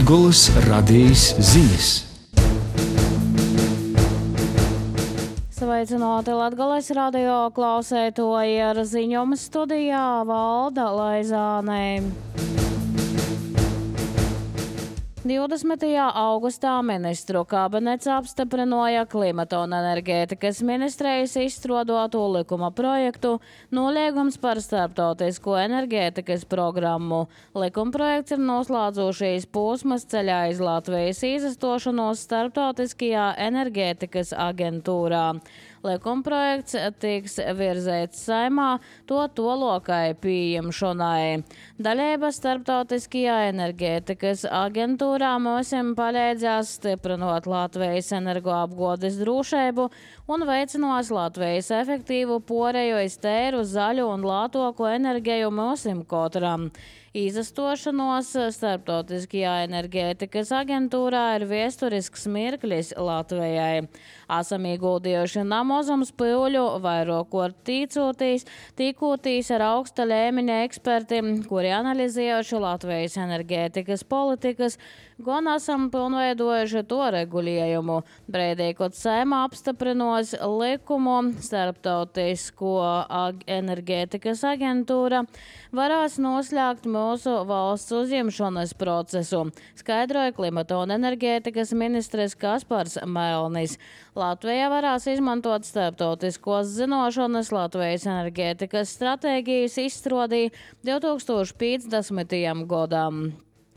Latgolas radījis ziņas. Sveicināti Latgolas radio klausētoji, ar ziņojumu studijā Valda Laizāne. 20. augustā ministru kabinets apstiprināja klimata un enerģētikas ministrijas izstrādāto likuma projektu noliegums par starptautisko enerģētikas programmu. Likumprojekts ir noslēdzošais posms ceļā iz Latvijas izastošanos starptautiskajā enerģētikas aģentūrā. Likumprojekts tiks virzēts Saeimā to lokai pieņemšanai. Dalība starptautiskajā enerģētikas aģentūrā mums palīdzēs stiprinot Latvijas energoapgādes drošību un veicinās Latvijas efektīvu pāreju uz tīru, zaļu un lētāku enerģiju mums katram. Izastošanos starptautiskajā enerģētikas aģentūrā ir vēsturisks mirklis Latvijai. Esam ieguldījuši namozums pīļu, vairākot tīkoties ar augsta līmeņa ekspertiem, kuri analizējuši Latvijas enerģētikas politikas, gan esam pilnveidojuši to regulējumu. Brīdī, kad Saeima apstiprinos likumu, starptautisko enerģētikas aģentūra varēs noslēgt mūsu valsts uzņemšanas procesu, skaidroja klimata un enerģētikas ministrs Kaspars Melnis. Latvija varēs izmantot starptautiskos zināšanas Latvijas enerģētikas stratēģijas izstrādī 2050. gadam.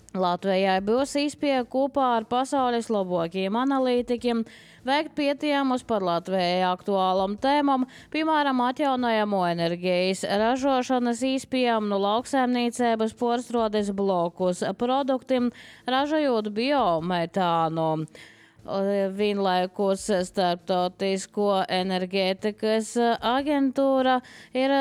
Latvijai būs iespēja kopā ar pasaules labākajiem analītikiem veikt pētījumus par Latvijai aktuālam tēmam, piemēram, atjaunojamo enerģijas ražošanas iespējām no lauksaimniecības pārstrādes blokus produktiem, ražojot biometānu. Vienlaikus starptautisko enerģētikas aģentūra ir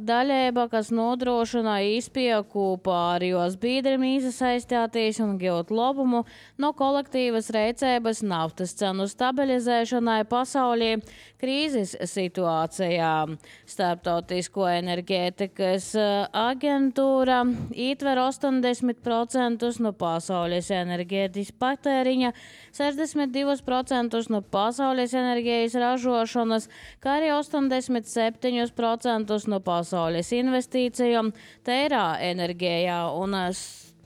daļība, kas nodrošina izpēju kopā ar jos biedriem iesaistīties un gūt labumu no kolektīvas rīcības naftas cenu stabilizēšanai pasaulī krīzes situācijā. Starptautisko enerģētikas aģentūra ietver 80% no pasaules enerģētikas patēriņa, 62% no pasaules enerģijas ražošanas, kā arī 87% no pasaules investīcijām tīrā enerģijā, un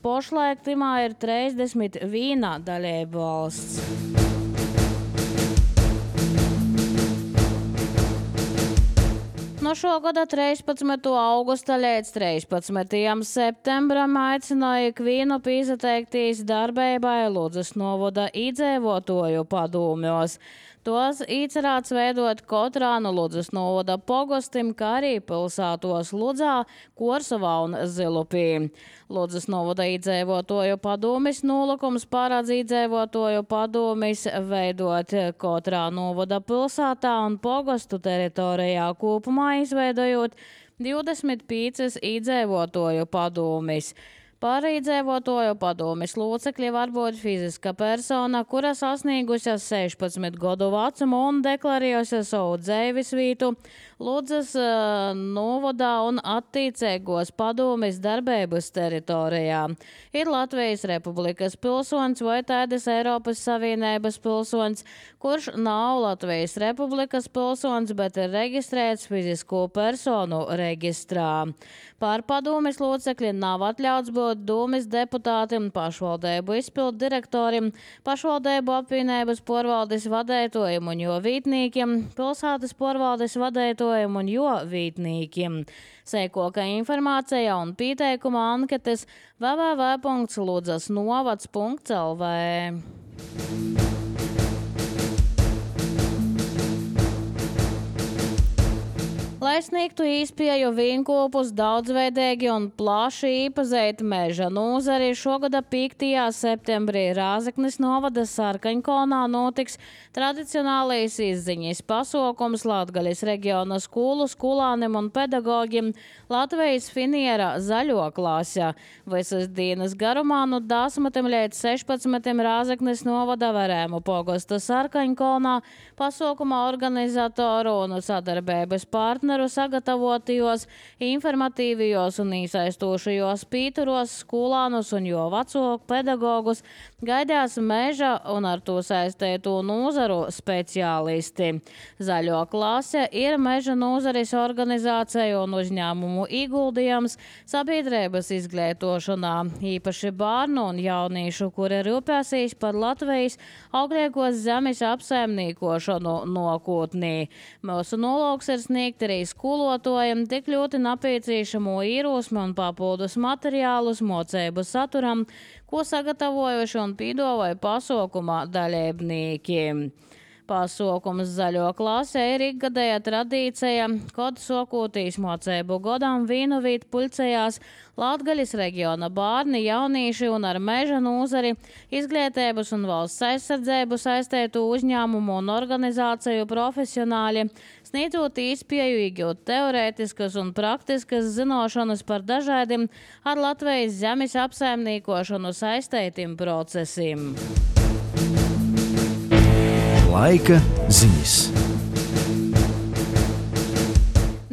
pašlaik timā ir 31 dalība valsts. No šogada 13. augusta līdz 13. septembram aicināja ikvienu piesateikties darbībai Ludzas novada iedzīvotāju padomjos. Tos iecerēts veidot katrā no Ludzas novada pogostim, kā arī pilsētos Ludzā, Korsavā un Zilupī. Ludzas novada iedzīvotāju padomis nolūkums paredz iedzīvotāju padomis veidot katrā novada pilsētā un pogostu teritorijā kopumā, izveidojot 25 iedzīvotāju padomis. Par iedzīvotāju padomes locekļi var būt fiziska persona, kura sasniegusi 16 gadu vecumu un deklarējusi savu dzīvesvietu Ludzas novadā un attiecīgos padomes darbības teritorijā. Ir Latvijas Republikas pilsonis vai tādas Eiropas Savienības pilsonis, kurš nav Latvijas Republikas pilsonis, bet ir reģistrēts fizisko personu reģistrā. Par padomes locekļi nav atļauts būt dūmis deputātiem, pašvaldību izpildu direktorim, pašvaldību apvienības pārvaldes vadētojiem un jo vītnīkiem, pilsētas pārvaldes vadētojiem un jo vītnīkiem. Sekoka informācija un pieteikuma anketes www.ludzasnovads.lv. Lai sniegtu iespēju vīnkopus daudzveidīgi un plaši iepazīt meža nozari, šogada 5. septembrī Rāzeknes novada Sarkaņkalnā notiks tradicionālais izziņas pasākums Latgaļas reģiona skolu skolāniem un pedagogiem Latvijas finiera zaļo klase. Visas dienas garumā no 10 līdz 16 Rāzeknes novada Verēmu pogosta Sarkaņkalnā pasākuma organizatoru un sadarbības partneru kameru sagatavotajos, informatīvajos un īsaistošajos pīturos skolānus un jo vecāku pedagogus gaidās meža un ar to saistēto nozaru speciālisti. Zaļo klase ir meža nozares organizācija un uzņēmumu ieguldījums sabiedrības izglītošanā, īpaši bērnu un jauniešu, kuri rūpēsīs par Latvijas augliekos zemes apsaimniekošanu nākotnē. Mūsu nolūks ir sniegt arī skolotājiem tik ļoti nepieciešamo īrosmi un papildus materiālus mocību saturam, ko sagatavojuši un piedāvāja pasākumā dalībnieki. Pasākums Zaļo klasē ir ikgadēja tradīcija, kad sokotīs mocību godam Vīnovīt pulcējās Latgaļas reģiona bērni, jaunieši un ar meža nozari, izglītības un valsts aizsardzību saistētu uzņēmumu un organizāciju profesionāļi, sniedzot iespēju iegūt teorētiskas un praktiskas zināšanas par dažādiem ar Latvijas zemes apsaimniekošanu saistētiem procesiem. Laika ziņas.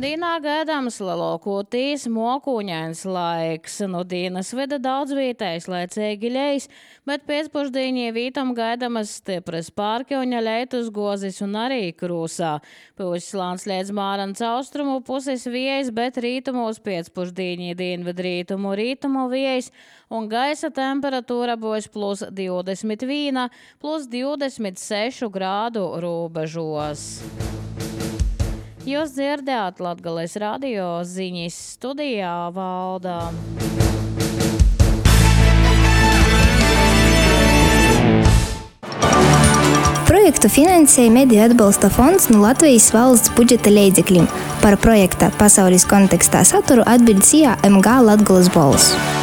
Dīnā gaidāms lielākoties mokūņains laiks. No dienas veda daudz vietējs laicīgi ļeis, bet pēcpusdienī vītam gaidamas stipras pārkļauņa leitus gozis un arī krūsā. Puslāns līdz Mārans austrumu puses viejas, bet rītumos pēcpusdienī dienvidrītumu rītumu viejas un gaisa temperatūra būs plus 21, plus 26 grādu robežos. Jūs dzirdējāt Latgales radio ziņas, studijā Valda. Projektu finansēja Mediju atbalsta fonds no Latvijas valsts budžeta līdzekļiem. Par projekta pasaules kontekstā saturu atbild SIA MG Latgales balss.